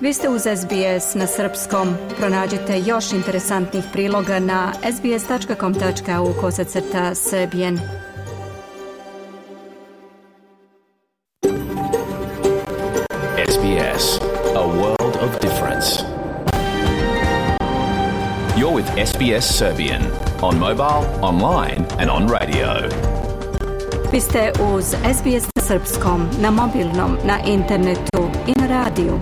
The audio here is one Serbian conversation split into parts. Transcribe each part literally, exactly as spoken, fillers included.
Vi ste uz S B S na srpskom. Pronađite još interesantnih priloga na sbs.com.au kosacrta srbijen. S B S, a world of difference. You're with S B S Serbian on mobile, online and on radio. Vi ste uz S B S na srpskom, na mobilnom, na internetu i na radiju.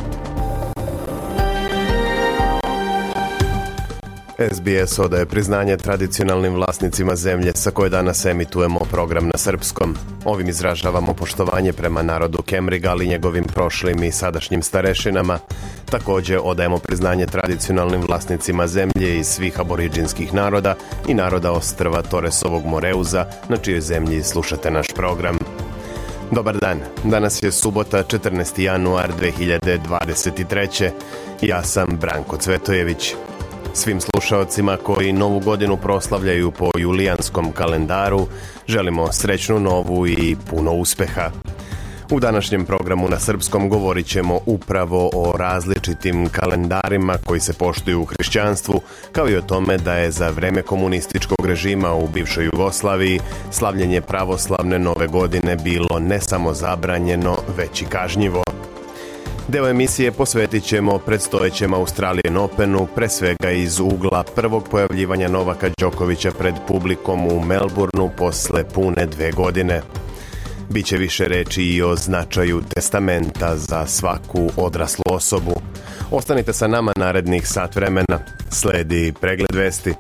S B S odaje priznanje tradicionalnim vlasnicima zemlje sa koje danas emitujemo program na srpskom. Ovim izražavamo poštovanje prema narodu Kemriga, ali njegovim prošlim i sadašnjim starešinama. Također odajemo priznanje tradicionalnim vlasnicima zemlje iz svih aboriđinskih naroda i naroda ostrva Toresovog Moreuza, na čijoj zemlji slušate naš program. Dobar dan, danas je subota četrnaesti januar dve hiljade dvadeset treće. Ja sam Branko Cvetojević. Svim slušaocima koji novu godinu proslavljaju po julijanskom kalendaru želimo srećnu novu i puno uspeha. U današnjem programu na srpskom govorit ćemo upravo o različitim kalendarima koji se poštuju u hrišćanstvu, kao i o tome da je za vreme komunističkog režima u bivšoj Jugoslaviji slavljenje pravoslavne nove godine bilo ne samo zabranjeno, već i kažnjivo. Deo emisije posvetit ćemo predstojećem Australian Openu, pre svega iz ugla prvog pojavljivanja Novaka Đokovića pred publikom u Melbourneu posle pune dve godine. Biće više reči i o značaju testamenta za svaku odraslu osobu. Ostanite sa nama narednih sat vremena. Sledi pregled vesti.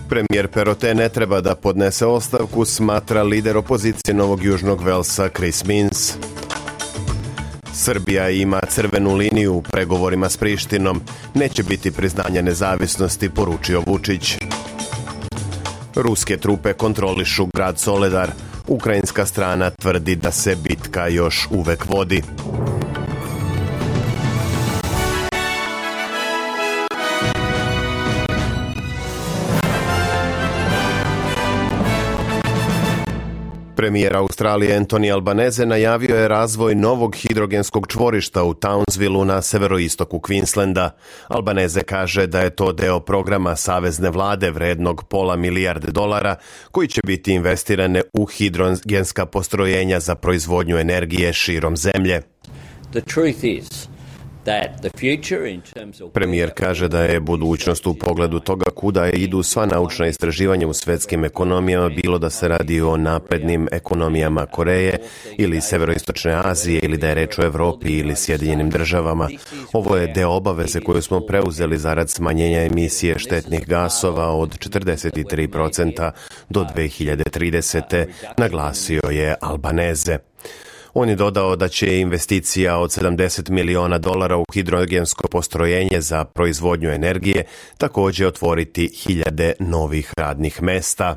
Premijer Perottet ne treba da podnese ostavku, smatra lider opozicije Novog Južnog Velsa Chris Minns. Srbija ima crvenu liniju u pregovorima s Prištinom. Neće biti priznanja nezavisnosti, poručio Vučić. Ruske trupe kontrolišu grad Soledar. Ukrajinska strana tvrdi da se bitka još uvek vodi. Premijer Australije Anthony Albanese najavio je razvoj novog hidrogenskog čvorišta u Townsvilleu na severoistoku Queenslanda. Albanese kaže da je to deo programa savezne vlade vrednog pola milijarde dolara koji će biti investirane u hidrogenska postrojenja za proizvodnju energije širom zemlje. The truth is that the future in terms of... Premijer kaže da je budućnost u pogledu toga kuda idu sva naučna istraživanja u svetskim ekonomijama, bilo da se radi o naprednim ekonomijama Koreje ili severoistočne Azije ili da je reč o Evropi ili Sjedinjenim državama. Ovo je deo obaveze koju smo preuzeli zarad smanjenja emisije štetnih gasova od četrdeset tri posto do dve hiljade tridesete. naglasio je Albanese. On je dodao da će investicija od sedamdeset miliona dolara u hidrogensko postrojenje za proizvodnju energije također otvoriti hiljade novih radnih mesta.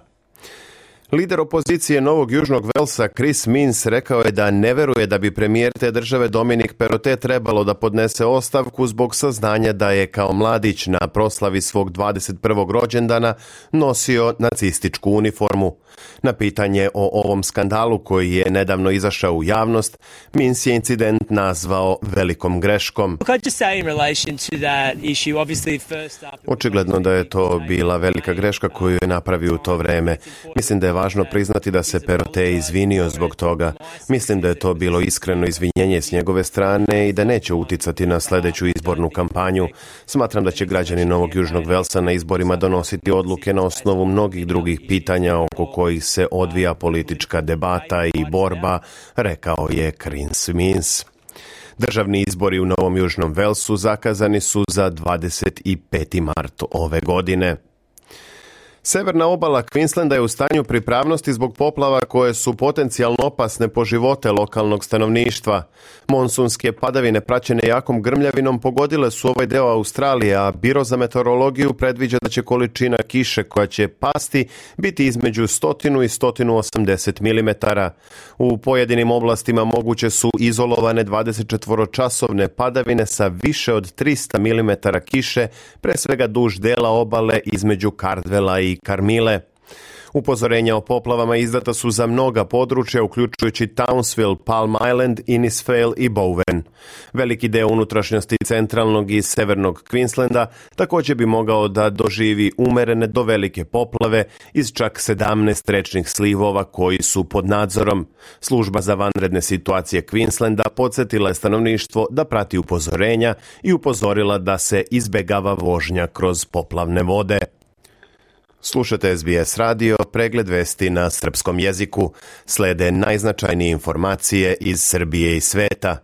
Lider opozicije Novog Južnog Velsa Chris Minns rekao je da ne veruje da bi premijer te države Dominic Perottet trebalo da podnese ostavku zbog saznanja da je kao mladić na proslavi svog dvadeset prvog rođendana nosio nacističku uniformu. Na pitanje o ovom skandalu koji je nedavno izašao u javnost, Minns je incident nazvao velikom greškom. Očigledno da je to bila velika greška koju je napravio u to vreme. Mislim da je važno priznati da se Perottet izvinio zbog toga. Mislim da je to bilo iskreno izvinjenje s njegove strane i da neće uticati na sljedeću izbornu kampanju. Smatram da će građani Novog Južnog Velsa na izborima donositi odluke na osnovu mnogih drugih pitanja oko kojih se odvija politička debata i borba, rekao je Chris Minns. Državni izbori u Novom Južnom Velsu zakazani su za dvadeset peti mart ove godine. Severna obala Queenslanda je u stanju pripravnosti zbog poplava koje su potencijalno opasne po živote lokalnog stanovništva. Monsunske padavine praćene jakom grmljavinom pogodile su ovaj deo Australije, a Biro za meteorologiju predviđa da će količina kiše koja će pasti biti između sto i sto osamdeset milimetara. U pojedinim oblastima moguće su izolovane dvadesetčetvoročasovne padavine sa više od trista milimetara kiše, pre svega duž dela obale između Cardwella i Carmile. Upozorenja o poplavama izdata su za mnoga područja, uključujući Townsville, Palm Island, Innisfail i Bowen. Veliki deo unutrašnjosti centralnog i severnog Queenslanda također bi mogao da doživi umerene do velike poplave iz čak sedamnaest rečnih slivova koji su pod nadzorom. Služba za vanredne situacije Queenslanda podsjetila je stanovništvo da prati upozorenja i upozorila da se izbegava vožnja kroz poplavne vode. Slušate S B S radio, pregled vesti na srpskom jeziku. Slede najznačajnije informacije iz Srbije i sveta.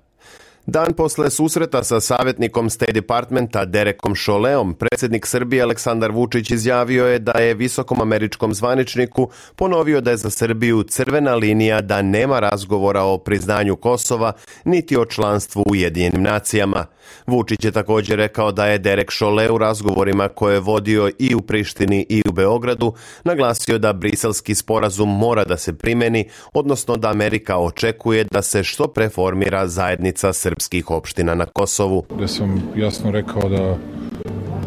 Dan posle susreta sa savjetnikom State Departmenta Derekom Šoleom, predsjednik Srbije Aleksandar Vučić izjavio je da je visokom američkom zvaničniku ponovio da je za Srbiju crvena linija da nema razgovora o priznanju Kosova niti o članstvu u Ujedinjenim nacijama. Vučić je također rekao da je Derek Šole u razgovorima koje je vodio i u Prištini i u Beogradu naglasio da briselski sporazum mora da se primeni, odnosno da Amerika očekuje da se što pre formira zajednica srpskih opština na Kosovu. Da sam jasno rekao da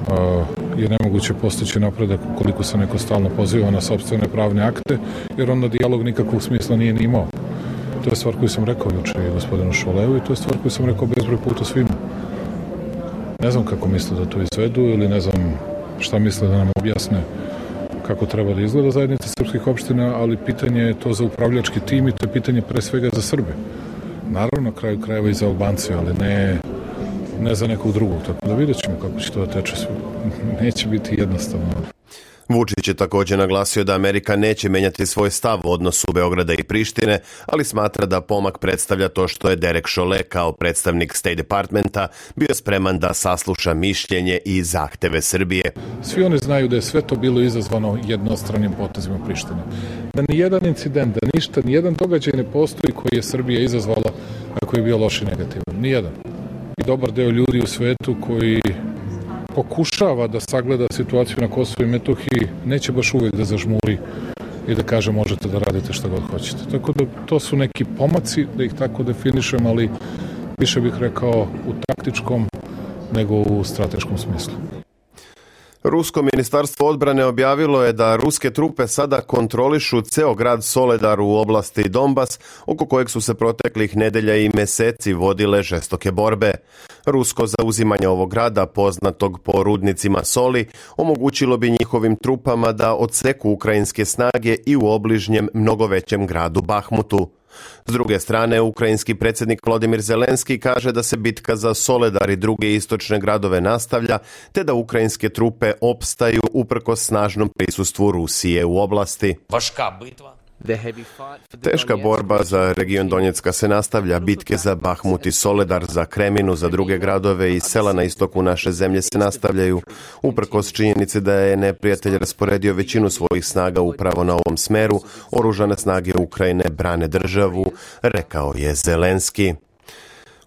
a, je nemoguće postići napredak ukoliko se neko stalno poziva na sopstvene pravne akte, jer onda dijalog nikakvog smisla nije ni imao. To je stvar koju sam rekao juče i gospodinu Šoleu i to je stvar koju sam rekao bezbroj puta svima. Ne znam kako misle da to izvedu ili ne znam šta misle da nam objasne kako treba da izgleda zajednica srpskih opština, ali pitanje je to za upravljački tim i to je pitanje pre svega za Srbe. Naravno, na kraju krajeva i za Albance, ali ne, ne za nekog drugog. Tako da vidjet ćemo kako će to da teče. Neće biti jednostavno. Vučić je također naglasio da Amerika neće menjati svoj stav u odnosu Beograda i Prištine, ali smatra da pomak predstavlja to što je Derek Šole kao predstavnik State Departmenta bio spreman da sasluša mišljenje i zahteve Srbije. Svi oni znaju da je sve to bilo izazvano jednostranim potezima Prištine. Da nijedan incident, da ništa, nijedan događaj ne postoji koji je Srbija izazvala, a koji je bio loš i negativan. Nijedan. I dobar deo ljudi u svetu koji pokušava da sagleda situaciju na Kosovu i Metohiji, neće baš uvijek da zažmuri i da kaže možete da radite šta god hoćete. Tako da to su neki pomaci, da ih tako definišem, ali više bih rekao u taktičkom nego u strateškom smislu. Rusko ministarstvo odbrane objavilo je da ruske trupe sada kontrolišu ceo grad Soledar u oblasti Donbas, oko kojeg su se proteklih nedelja i meseci vodile žestoke borbe. Rusko zauzimanje ovog grada, poznatog po rudnicima soli, omogućilo bi njihovim trupama da odseku ukrajinske snage i u obližnjem mnogo većem gradu Bahmutu. S druge strane, ukrajinski predsjednik Volodymyr Zelenski kaže da se bitka za Soledar i druge istočne gradove nastavlja, te da ukrajinske trupe opstaju uprkos snažnom prisustvu Rusije u oblasti. Vaška bitva. Teška borba za region Donjecka se nastavlja, bitke za Bahmut i Soledar, za Kreminu, za druge gradove i sela na istoku naše zemlje se nastavljaju, uprkos činjenici da je neprijatelj rasporedio većinu svojih snaga upravo na ovom smeru. Oružane snage Ukrajine brane državu, rekao je Zelenski.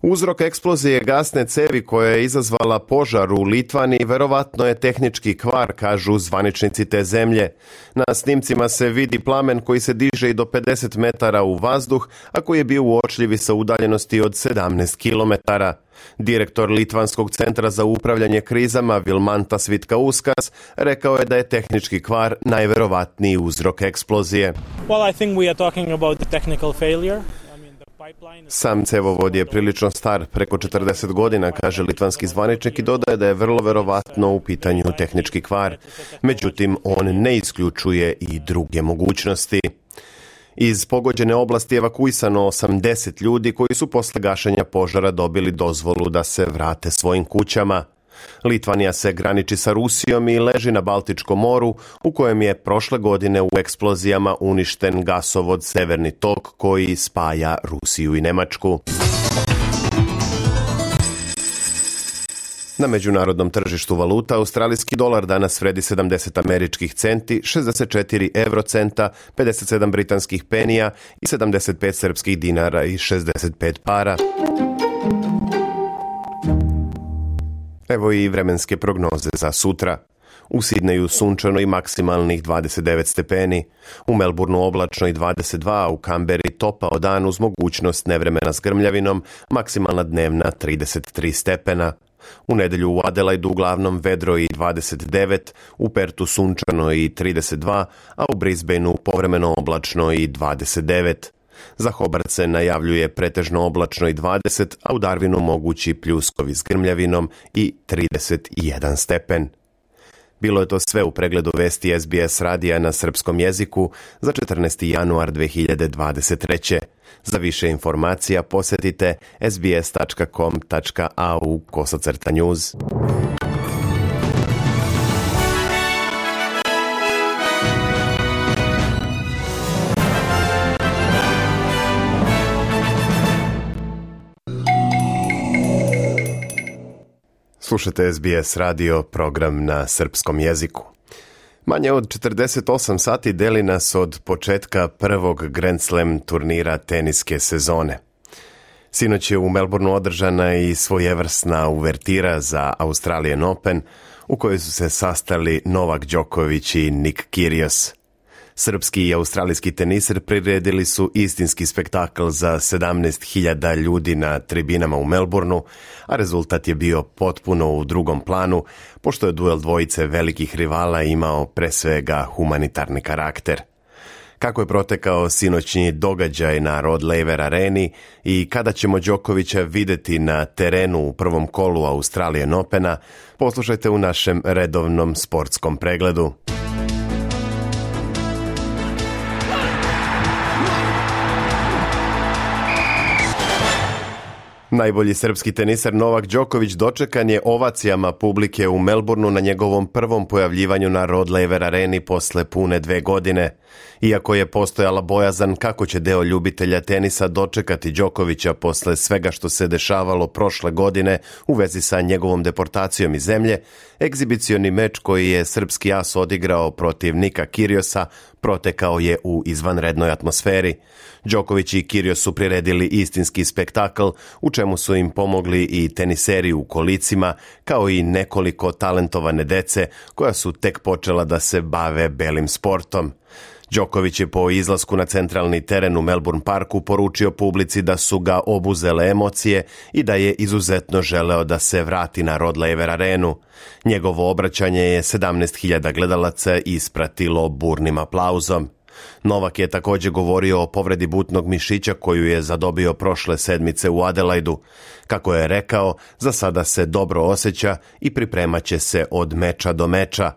Uzrok eksplozije gasne cevi koja je izazvala požar u Litvaniji verovatno je tehnički kvar, kažu zvaničnici te zemlje. Na snimcima se vidi plamen koji se diže i do pedeset metara u vazduh, a koji je bio uočljiv sa udaljenosti od sedamnaest kilometara. Direktor Litvanskog centra za upravljanje krizama Vilmantas Vitkauskas rekao je da je tehnički kvar najverovatniji uzrok eksplozije. Well, I think we are talking about the technical failure. Sam cevovod je prilično star, preko četrdeset godina, kaže litvanski zvaničnik i dodaje da je vrlo verovatno u pitanju tehnički kvar. Međutim, on ne isključuje i druge mogućnosti. Iz pogođene oblasti evakuisano osamdeset ljudi koji su posle gašenja požara dobili dozvolu da se vrate svojim kućama. Litvanija se graniči sa Rusijom i leži na Baltičkom moru, u kojem je prošle godine u eksplozijama uništen gasovod Severni tok koji spaja Rusiju i Nemačku. Na međunarodnom tržištu valuta australijski dolar danas vredi sedamdeset američkih centi, šezdeset četiri eurocenta, pedeset sedam britanskih penija i sedamdeset pet srpskih dinara i šezdeset pet para. Evo i vremenske prognoze za sutra. U Sidneju sunčano i maksimalnih dvadeset devet stepeni, u Melbourneu oblačno i dvadeset dva, a u Kamberi topao dan uz mogućnost nevremena s grmljavinom, maksimalna dnevna trideset tri stepena. U nedelju u Adelaidu uglavnom vedro i dvadeset devet, u Pertu sunčano i trideset dva, a u Brisbaneu povremeno oblačno i dvadeset devet. Za Hobart se najavljuje pretežno oblačno i dvadeset, a u Darwinu mogući pljuskovi s grmljavinom i trideset jedan stepen. Bilo je to sve u pregledu vesti S B S radija na srpskom jeziku za četrnaesti januar dve hiljade dvadeset treće. Za više informacija posjetite sbs tačka com tačka a u kosacrta news. Slušate S B S radio, program na srpskom jeziku. Manje od četrdeset osam sati deli nas od početka prvog Grand Slam turnira teniske sezone. Sinoć je u Melbourneu održana i svojevrsna uvertira za Australian Open, u kojoj su se sastali Novak Đoković i Nick Kyrgios. Srpski i australijski teniser priredili su istinski spektakl za sedamnaest hiljada ljudi na tribinama u Melbourneu, a rezultat je bio potpuno u drugom planu, pošto je duel dvojice velikih rivala imao pre svega humanitarni karakter. Kako je protekao sinoćni događaj na Rod Laver areni i kada ćemo Đokovića videti na terenu u prvom kolu Australian Opena, poslušajte u našem redovnom sportskom pregledu. Najbolji srpski teniser Novak Đoković dočekan je ovacijama publike u Melbourneu na njegovom prvom pojavljivanju na Rod Laver areni posle pune dve godine. Iako je postojala bojazan kako će deo ljubitelja tenisa dočekati Đokovića posle svega što se dešavalo prošle godine u vezi sa njegovom deportacijom iz zemlje, egzibicioni meč koji je srpski as odigrao protiv Nika Kyrgiosa protekao je u izvanrednoj atmosferi. Đoković i Kyrgios su priredili istinski spektakl, u čemu su im pomogli i teniseri u kolicima, kao i nekoliko talentovane dece koja su tek počela da se bave belim sportom. Đoković je po izlasku na centralni teren u Melbourne Parku poručio publici da su ga obuzele emocije i da je izuzetno želeo da se vrati na Rod Laver arenu. Njegovo obraćanje je sedamnaest hiljada gledalaca ispratilo burnim aplauzom. Novak je također govorio o povredi butnog mišića koju je zadobio prošle sedmice u Adelaidu. Kako je rekao, za sada se dobro osjeća i pripremat će se od meča do meča.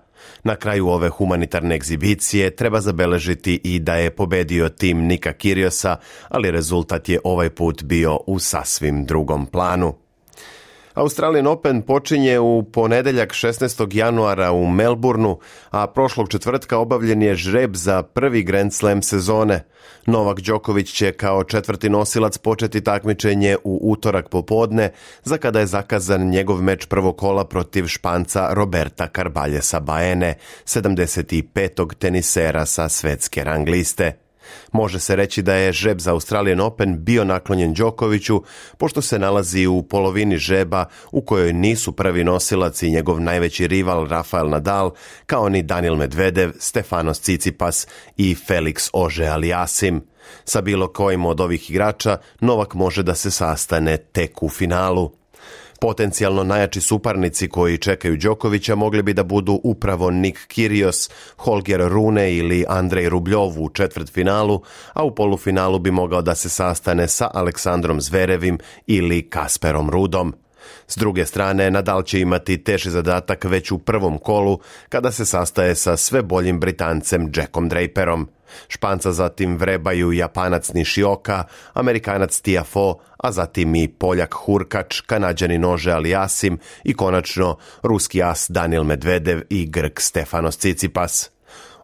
Na kraju ove humanitarne egzibicije treba zabeležiti i da je pobedio tim Nika Kyrgiosa, ali rezultat je ovaj put bio u sasvim drugom planu. Australian Open počinje u ponedeljak šesnaestog januara u Melbourneu, a prošlog četvrtka obavljen je žreb za prvi Grand Slam sezone. Novak Đoković će kao četvrti nosilac početi takmičenje u utorak popodne, za kada je zakazan njegov meč prvog kola protiv Španca Roberta Carballesa Baene, sedamdeset petog tenisera sa svetske rang liste. Može se reći da je žreb za Australian Open bio naklonjen Đokoviću, pošto se nalazi u polovini žreba u kojoj nisu prvi nosilac i njegov najveći rival Rafael Nadal, kao ni Daniil Medvedev, Stefanos Tsitsipas i Felix Auger-Aliassime. Sa bilo kojim od ovih igrača Novak može da se sastane tek u finalu. Potencijalno najjači suparnici koji čekaju Đokovića mogli bi da budu upravo Nick Kyrgios, Holger Rune ili Andrej Rubljov u četvrtfinalu, a u polufinalu bi mogao da se sastane sa Aleksandrom Zverevim ili Kasperom Rudom. S druge strane, Nadal će imati teži zadatak već u prvom kolu, kada se sastaje sa sve boljim Britancem Jackom Draperom. Španca zatim vrebaju Japanac Nishioka, Amerikanac Tiafoe, a zatim i Poljak Hurkač, Kanađanin Auger-Aliassime i konačno ruski as Daniil Medvedev i Grk Stefanos Tsitsipas.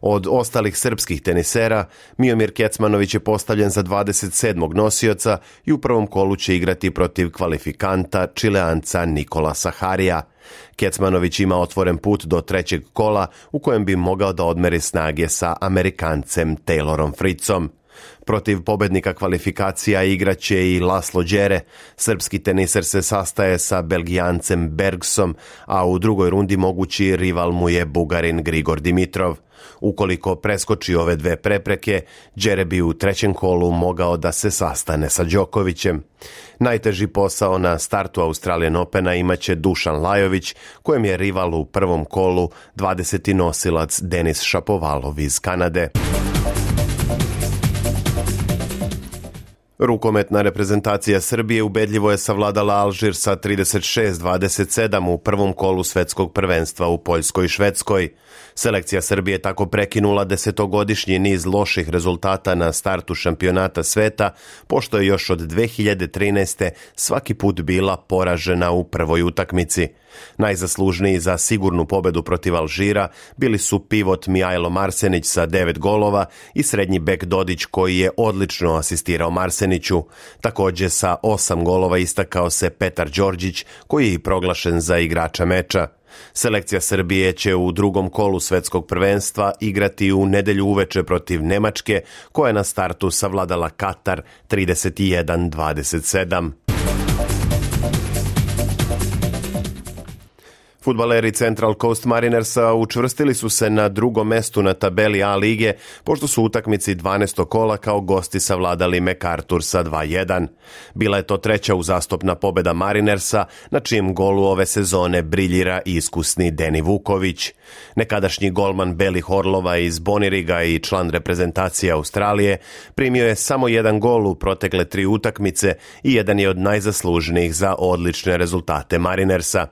Od ostalih srpskih tenisera, Miomir Kecmanović je postavljen za dvadeset sedmog nosioca i u prvom kolu će igrati protiv kvalifikanta Čileanca Nikolasa Harija. Kecmanović ima otvoren put do trećeg kola u kojem bi mogao da odmeri snage sa Amerikancem Taylorom Fritzom. Protiv pobednika kvalifikacija igraće i Laslo Đere. Srpski teniser se sastaje sa Belgijancem Bergsom, a u drugoj rundi mogući rival mu je Bugarin Grigor Dimitrov. Ukoliko preskoči ove dve prepreke, Đere bi u trećem kolu mogao da se sastane sa Đokovićem. Najteži posao na startu Australian Opena imaće Dušan Lajović, kojem je rival u prvom kolu dvadeseti nosilac Denis Šapovalov iz Kanade. Rukometna reprezentacija Srbije ubedljivo je savladala Alžir sa trideset šest dvadeset sedam u prvom kolu svetskog prvenstva u Poljskoj i Švedskoj. Selekcija Srbije tako prekinula desetogodišnji niz loših rezultata na startu šampionata sveta, pošto je još od dve hiljade trinaeste. svaki put bila poražena u prvoj utakmici. Najzaslužniji za sigurnu pobedu protiv Alžira bili su pivot Mijajlo Marsenić sa devet golova i srednji bek Dodić koji je odlično asistirao Marseniću. Također sa osam golova istakao se Petar Đorđić koji je i proglašen za igrača meča. Selekcija Srbije će u drugom kolu svetskog prvenstva igrati u nedelju uveče protiv Nemačke koja je na startu savladala Katar trideset jedan dvadeset sedam. Fudbaleri Central Coast Marinersa učvrstili su se na drugom mestu na tabeli A lige, pošto su utakmici dvanaestog kola kao gosti savladali MacArthur sa dva jedan. Bila je to treća uzastopna pobeda Marinersa, na čijem golu ove sezone briljira iskusni Deni Vuković. Nekadašnji golman Belih Orlova iz Boniriga i član reprezentacije Australije primio je samo jedan gol u protekle tri utakmice i jedan je od najzaslužnijih za odlične rezultate Marinersa.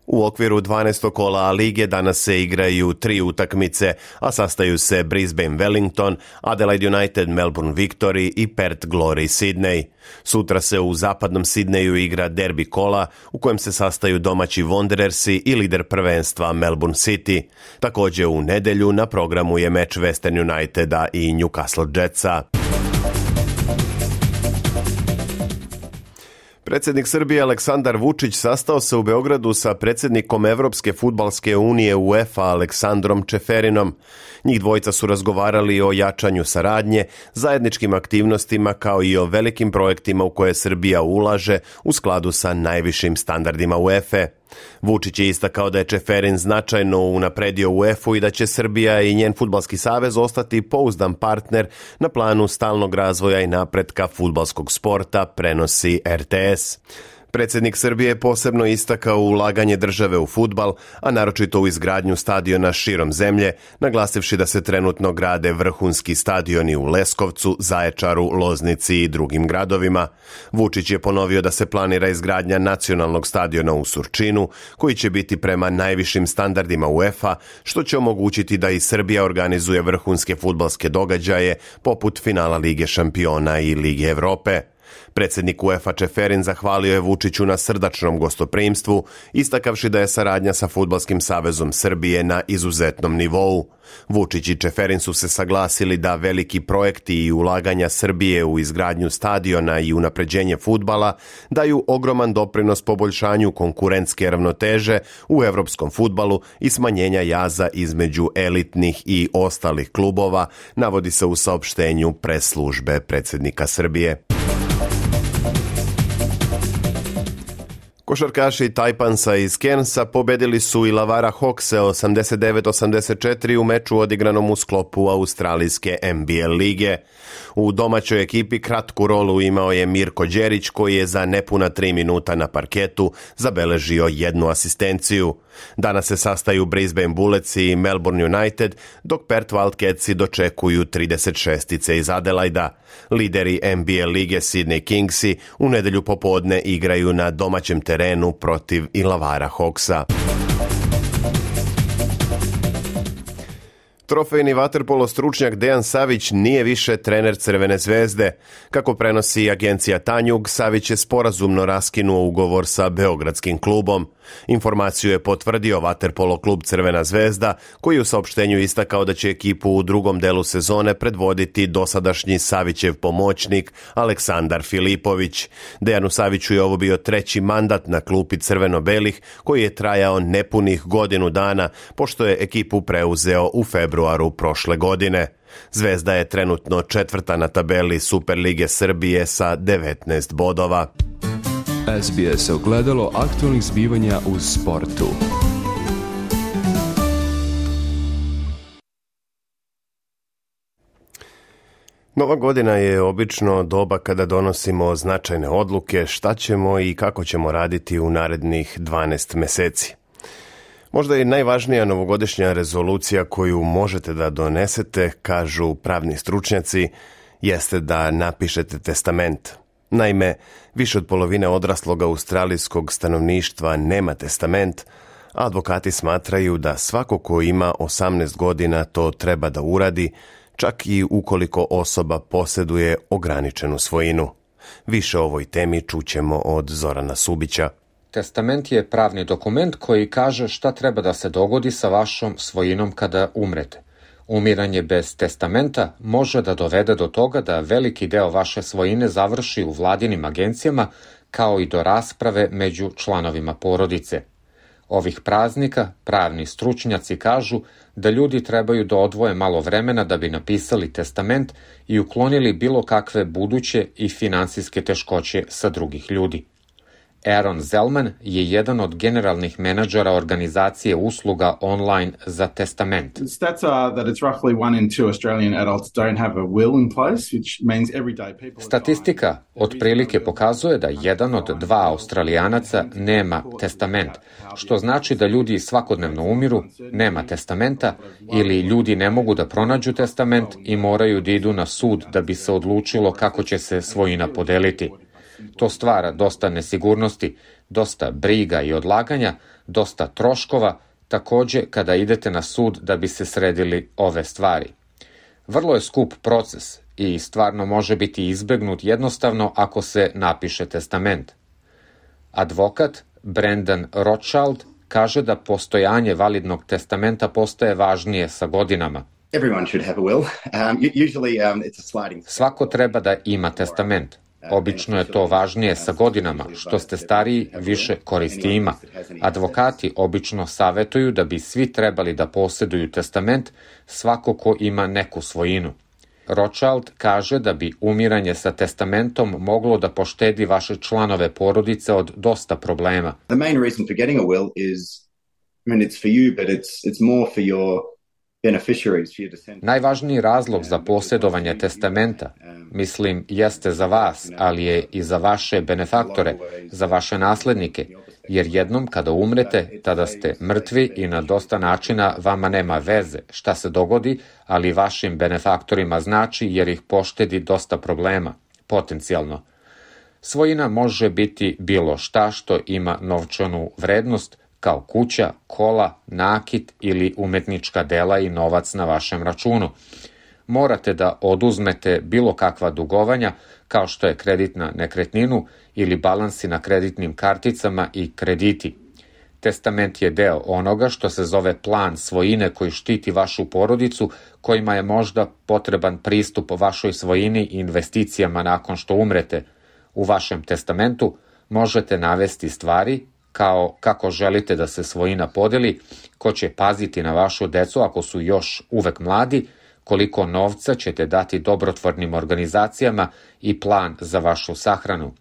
U okviru dvanaestog kola A lige danas se igraju tri utakmice, a sastaju se Brisbane Wellington, Adelaide United Melbourne Victory i Perth Glory Sydney. Sutra se u zapadnom Sidneju igra derbi kola u kojem se sastaju domaći Wanderersi i lider prvenstva Melbourne City. Također u nedelju na programu je meč Western Uniteda i Newcastle Jetsa. Predsjednik Srbije Aleksandar Vučić sastao se u Beogradu sa predsjednikom Evropske fudbalske unije UEFA Aleksandrom Čeferinom. Njih dvojica su razgovarali o jačanju saradnje, zajedničkim aktivnostima kao i o velikim projektima u koje Srbija ulaže u skladu sa najvišim standardima UEFA. Vučić je istakao da je Čeferin značajno unapredio UEFA i da će Srbija i njen fudbalski savez ostati pouzdan partner na planu stalnog razvoja i napretka fudbalskog sporta, prenosi R T S. Predsjednik Srbije je posebno istakao ulaganje države u fudbal, a naročito u izgradnju stadiona širom zemlje, naglasivši da se trenutno grade vrhunski stadioni u Leskovcu, Zaječaru, Loznici i drugim gradovima. Vučić je ponovio da se planira izgradnja nacionalnog stadiona u Surčinu, koji će biti prema najvišim standardima UEFA, što će omogućiti da i Srbija organizuje vrhunske fudbalske događaje poput finala Lige šampiona i Lige Evrope. Predsjednik UEFA Čeferin zahvalio je Vučiću na srdačnom gostoprimstvu, istakavši da je saradnja sa Fudbalskim savezom Srbije na izuzetnom nivou. Vučić i Čeferin su se saglasili da veliki projekti i ulaganja Srbije u izgradnju stadiona i unapređenje fudbala daju ogroman doprinos poboljšanju konkurentske ravnoteže u evropskom fudbalu i smanjenja jaza između elitnih i ostalih klubova, navodi se u saopštenju pres službe predsjednika Srbije. Košarkaši Tajpansa iz Cairnsa pobedili su Illawarra Hawkse osamdeset devet osamdeset četiri u meču odigranom u sklopu australijske N B L lige. U domaćoj ekipi kratku rolu imao je Mirko Đerić koji je za nepuna tri minuta na parketu zabeležio jednu asistenciju. Danas se sastaju Brisbane Bullets i Melbourne United, dok Perth Wildcatsi dočekuju trideset šestice iz Adelaida. Lideri N B L lige Sydney Kingsi u nedelju popodne igraju na domaćem terenu protiv Illawarra Hawksa. Trofejni vaterpolo stručnjak Dejan Savić nije više trener Crvene zvezde. Kako prenosi agencija Tanjug, Savić je sporazumno raskinuo ugovor sa beogradskim klubom. Informaciju je potvrdio vaterpolo klub Crvena zvezda, koji je u saopštenju istakao da će ekipu u drugom delu sezone predvoditi dosadašnji Savićev pomoćnik Aleksandar Filipović. Dejanu Saviću je ovo bio treći mandat na klupi crveno-belih, koji je trajao nepunih godinu dana, pošto je ekipu preuzeo u februaru prošle godine. Zvezda je trenutno četvrta na tabeli Superlige Srbije sa devetnaest bodova. S B S ogledalo aktualnih zbivanja u sportu. Nova godina je obično doba kada donosimo značajne odluke šta ćemo i kako ćemo raditi u narednih dvanaest meseci. Možda je najvažnija novogodišnja rezolucija koju možete da donesete, kažu pravni stručnjaci, jeste da napišete testament. Naime, više od polovine odraslog australijskog stanovništva nema testament, a advokati smatraju da svako ko ima osamnaest godina to treba da uradi, čak i ukoliko osoba posjeduje ograničenu svojinu. Više o ovoj temi čućemo od Zorana Subića. Testament je pravni dokument koji kaže šta treba da se dogodi sa vašom svojinom kada umrete. Umiranje bez testamenta može da dovede do toga da veliki deo vaše svojine završi u vladinim agencijama, kao i do rasprave među članovima porodice. Ovih praznika pravni stručnjaci kažu da ljudi trebaju da odvoje malo vremena da bi napisali testament i uklonili bilo kakve buduće i finansijske teškoće sa drugih ljudi. Aaron Zellman je jedan od generalnih menadžera organizacije usluga online za testament. Statistika otprilike pokazuje da jedan od dva Australijanaca nema testament, što znači da ljudi svakodnevno umiru, nema testamenta ili ljudi ne mogu da pronađu testament i moraju da idu na sud da bi se odlučilo kako će se svojina podeliti. To stvara dosta nesigurnosti, dosta briga i odlaganja, dosta troškova, takođe kada idete na sud da bi se sredili ove stvari. Vrlo je skup proces i stvarno može biti izbegnut jednostavno ako se napiše testament. Advokat Brendan Rothschild kaže da postojanje validnog testamenta postaje važnije sa godinama. Svako treba da ima testament. Obično je to važnije sa godinama, što ste stariji, više koristi ima. Advokati obično savetuju da bi svi trebali da posjeduju testament, svako ko ima neku svojinu. Rothschild kaže da bi umiranje sa testamentom moglo da poštedi vaše članove porodice od dosta problema. The main reason for getting a will is, I mean, it's for you, but it's it's more for your Najvažniji razlog za posjedovanje testamenta, mislim, jeste za vas, ali je i za vaše benefaktore, za vaše naslednike, jer jednom kada umrete, tada ste mrtvi i na dosta načina vama nema veze šta se dogodi, ali vašim benefaktorima znači jer ih poštedi dosta problema, potencijalno. Svojina može biti bilo šta što ima novčanu vrednost, kao kuća, kola, nakit ili umetnička dela i novac na vašem računu. Morate da oduzmete bilo kakva dugovanja, kao što je kredit na nekretninu ili balansi na kreditnim karticama i krediti. Testament je deo onoga što se zove plan svojine koji štiti vašu porodicu, kojima je možda potreban pristup vašoj svojini i investicijama nakon što umrete. U vašem testamentu možete navesti stvari kao kako želite da se svojina podeli, ko će paziti na vašu decu ako su još uvek mladi, koliko novca ćete dati dobrotvornim organizacijama i plan za vašu sahranu.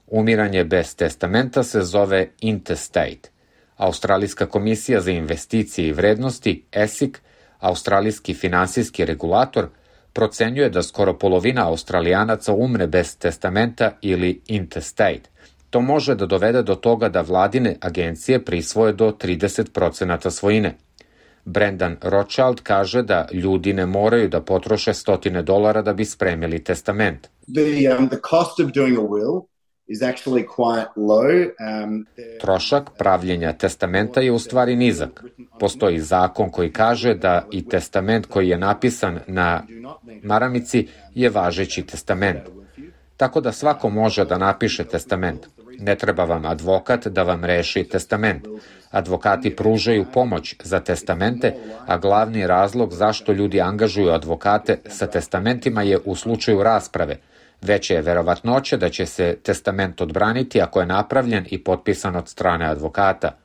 Umiranje bez testamenta se zove intestate. Australijska komisija za investicije i vrednosti, E S I C, australijski finansijski regulator, procenjuje da skoro polovina Australijanaca umre bez testamenta ili intestate. To može da dovede do toga da vladine agencije prisvoje do trideset procenata svojine. Brendan Rothschild kaže da ljudi ne moraju da potroše stotine dolara da bi spremili testament. The, um, the cost of doing a will is actually quite low. Um, Trošak pravljenja testamenta je u stvari nizak. Postoji zakon koji kaže da i testament koji je napisan na maramici je važeći testament. Tako da svako može da napiše testament. Ne treba vam advokat da vam reši testament. Advokati pružaju pomoć za testamente, a glavni razlog zašto ljudi angažuju advokate sa testamentima je u slučaju rasprave. Veća je verovatnoća da će se testament odbraniti ako je napravljen i potpisan od strane advokata.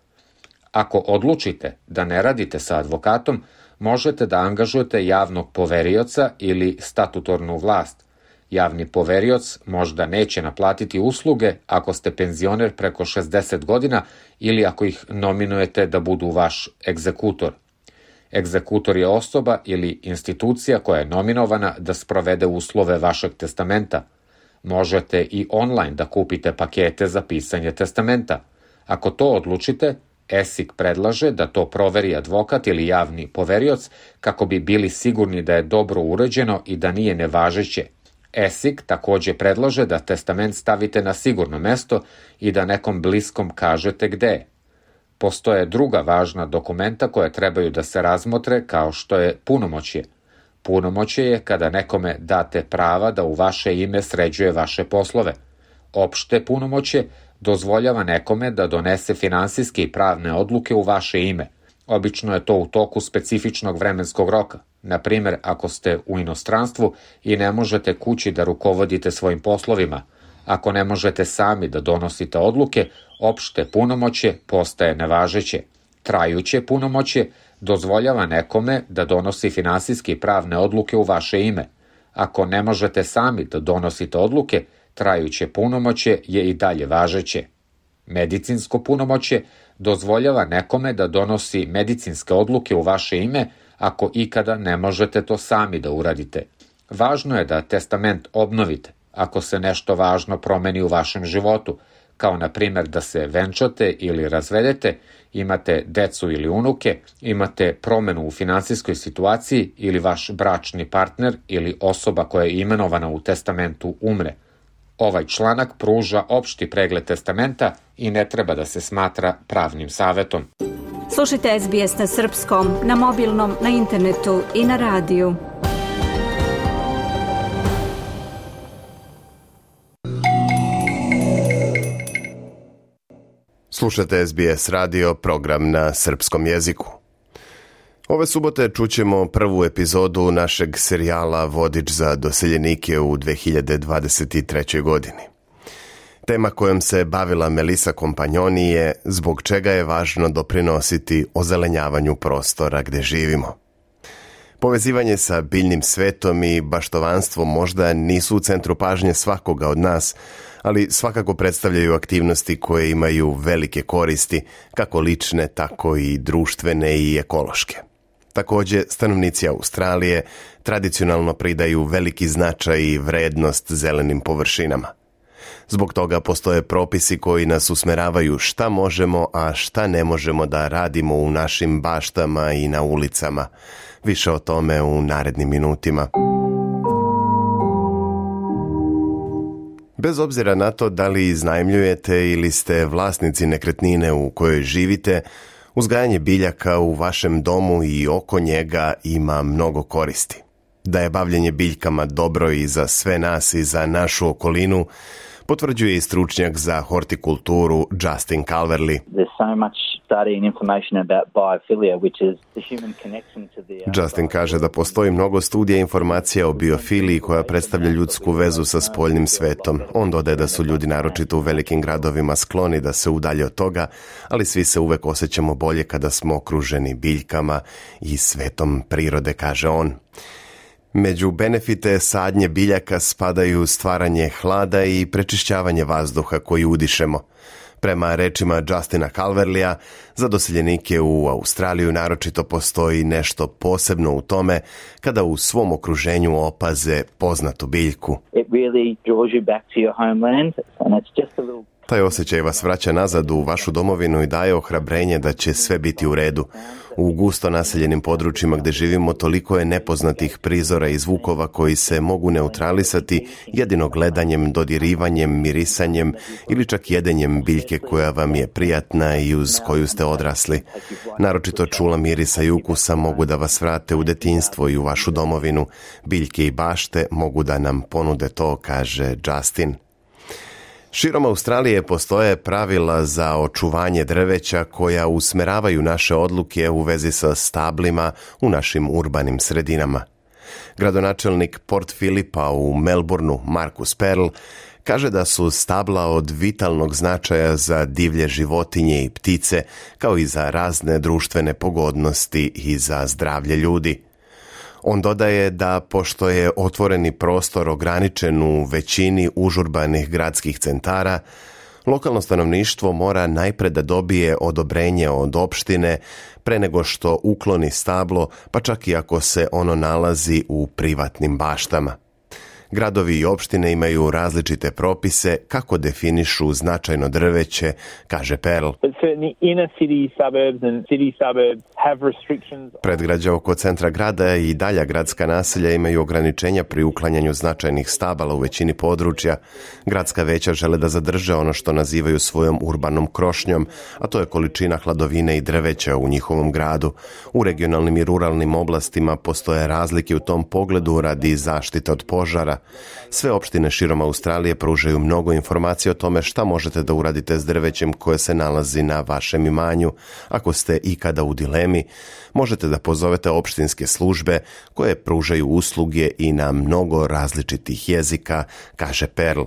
Ako odlučite da ne radite sa advokatom, možete da angažujete javnog poverioca ili statutornu vlast. Javni poverioc možda neće naplatiti usluge ako ste penzioner preko šezdeset godina ili ako ih nominujete da budu vaš egzekutor. Egzekutor je osoba ili institucija koja je nominovana da sprovede uslove vašeg testamenta. Možete i online da kupite pakete za pisanje testamenta. Ako to odlučite, E S I K predlaže da to proveri advokat ili javni poverioc kako bi bili sigurni da je dobro uređeno i da nije nevažeće. E S I K takođe predlaže da testament stavite na sigurno mesto i da nekom bliskom kažete gde je. Postoje druga važna dokumenta koje trebaju da se razmotre kao što je punomoćje. Punomoćje je kada nekome date prava da u vaše ime sređuje vaše poslove. Opšte punomoćje dozvoljava nekome da donese finansijske i pravne odluke u vaše ime. Obično je to u toku specifičnog vremenskog roka. Na primjer, ako ste u inostranstvu i ne možete kući da rukovodite svojim poslovima. Ako ne možete sami da donosite odluke, opšte punomoćje postaje nevažeće. Trajuće punomoćje dozvoljava nekome da donosi finansijske i pravne odluke u vaše ime. Ako ne možete sami da donosite odluke, trajuće punomoćje je i dalje važeće. Medicinsko punomoćje dozvoljava nekome da donosi medicinske odluke u vaše ime ako ikada ne možete to sami da uradite. Važno je da testament obnovite ako se nešto važno promeni u vašem životu, kao na primjer da se venčate ili razvedete, imate decu ili unuke, imate promenu u finansijskoj situaciji ili vaš bračni partner ili osoba koja je imenovana u testamentu umre. Ovaj članak pruža opšti pregled testamenta i ne treba da se smatra pravnim savetom. Slušajte S B S na srpskom, na mobilnom, na internetu i na radiju. Slušate S B S radio, program na srpskom jeziku. Ove subote čućemo prvu epizodu našeg serijala Vodič za doseljenike u dve hiljade dvadeset trećoj. godini. Tema kojom se bavila Melissa Compagnoni je zbog čega je važno doprinositi ozelenjavanju prostora gde živimo. Povezivanje sa biljnim svetom i baštovanstvo možda nisu u centru pažnje svakoga od nas, ali svakako predstavljaju aktivnosti koje imaju velike koristi, kako lične, tako i društvene i ekološke. Takođe, stanovnici Australije tradicionalno pridaju veliki značaj i vrednost zelenim površinama. Zbog toga postoje propisi koji nas usmeravaju šta možemo, a šta ne možemo da radimo u našim baštama i na ulicama. Više o tome u narednim minutima. Bez obzira na to da li iznajmljujete ili ste vlasnici nekretnine u kojoj živite, uzgajanje biljaka u vašem domu i oko njega ima mnogo koristi. Da je bavljenje biljkama dobro i za sve nas i za našu okolinu, potvrđuje i stručnjak za hortikulturu Justin Calverley. Justin kaže da postoji mnogo studija i informacija o biofiliji koja predstavlja ljudsku vezu sa spoljnim svetom. On dodaje da su ljudi naročito u velikim gradovima skloni da se udalje od toga, ali svi se uvek osjećamo bolje kada smo okruženi biljkama i svetom prirode, kaže on. Među benefite sadnje biljaka spadaju stvaranje hlada i prečišćavanje vazduha koji udišemo. Prema rečima Justina Calverleya, za doseljenike u Australiju naročito postoji nešto posebno u tome kada u svom okruženju opaze poznatu biljku. It really draws you back to your homeland and it's just a little... Taj osjećaj vas vraća nazad u vašu domovinu i daje ohrabrenje da će sve biti u redu. U gusto naseljenim područjima gde živimo toliko je nepoznatih prizora i zvukova koji se mogu neutralisati jedino gledanjem, dodirivanjem, mirisanjem ili čak jedenjem biljke koja vam je prijatna i uz koju ste odrasli. Naročito čula mirisa i ukusa mogu da vas vrate u detinjstvo i u vašu domovinu. Biljke i bašte mogu da nam ponude to, kaže Justin. Širom Australije postoje pravila za očuvanje drveća koja usmeravaju naše odluke u vezi sa stablima u našim urbanim sredinama. Gradonačelnik Port Philipa u Melbourneu, Marcus Perl, kaže da su stabla od vitalnog značaja za divlje životinje i ptice, kao i za razne društvene pogodnosti i za zdravlje ljudi. On dodaje da, pošto je otvoreni prostor ograničen u većini užurbanih gradskih centara, lokalno stanovništvo mora najpre da dobije odobrenje od opštine pre nego što ukloni stablo, pa čak i ako se ono nalazi u privatnim baštama. Gradovi i opštine imaju različite propise kako definišu značajno drveće, kaže Perl. Predgrađa oko centra grada i dalja gradska naselja imaju ograničenja pri uklanjanju značajnih stabala u većini područja. Gradska veća žele da zadrže ono što nazivaju svojom urbanom krošnjom, a to je količina hladovine i drveća u njihovom gradu. U regionalnim i ruralnim oblastima postoje razlike u tom pogledu radi zaštite od požara. Sve opštine širom Australije pružaju mnogo informacija o tome šta možete da uradite s drvećem koje se nalazi na vašem imanju. Ako ste ikada u dilemi, možete da pozovete opštinske službe koje pružaju usluge i na mnogo različitih jezika, kaže Perl.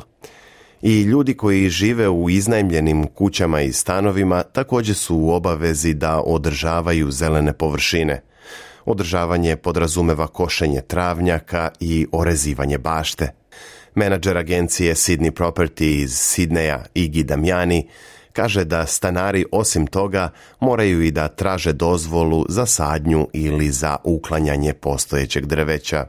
I ljudi koji žive u iznajmljenim kućama i stanovima također su u obavezi da održavaju zelene površine. Održavanje podrazumeva košenje travnjaka i orezivanje bašte. Menadžer agencije Sydney Property iz Sidneja, Iggy Damiani, kaže da stanari osim toga moraju i da traže dozvolu za sadnju ili za uklanjanje postojećeg drveća.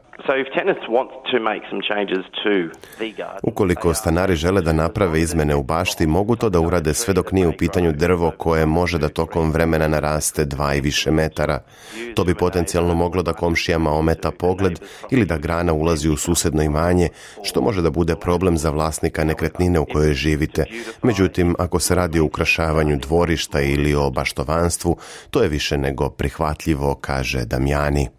Ukoliko stanari žele da naprave izmene u bašti, mogu to da urade sve dok nije u pitanju drvo koje može da tokom vremena naraste dva i više metara. To bi potencijalno moglo da komšijama ometa pogled ili da grana ulazi u susedno imanje, što može da bude problem za vlasnika nekretnine u kojoj živite. Međutim, ako se radi o ukrašavanju dvorišta ili o baštovanstvu, to je više nego prihvatljivo, kaže Damiani.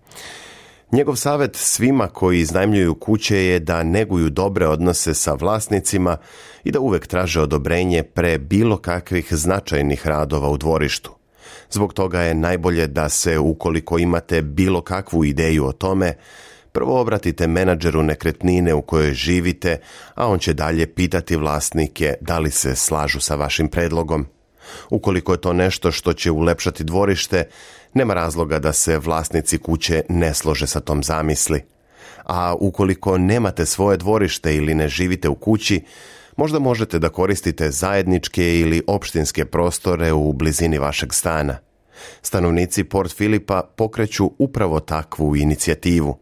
Njegov savjet svima koji iznajmljuju kuće je da neguju dobre odnose sa vlasnicima i da uvek traže odobrenje pre bilo kakvih značajnih radova u dvorištu. Zbog toga je najbolje da se, ukoliko imate bilo kakvu ideju o tome, prvo obratite menadžeru nekretnine u kojoj živite, a on će dalje pitati vlasnike da li se slažu sa vašim predlogom. Ukoliko je to nešto što će ulepšati dvorište, nema razloga da se vlasnici kuće ne slože sa tom zamisli. A ukoliko nemate svoje dvorište ili ne živite u kući, možda možete da koristite zajedničke ili opštinske prostore u blizini vašeg stana. Stanovnici Port Philipa pokreću upravo takvu inicijativu.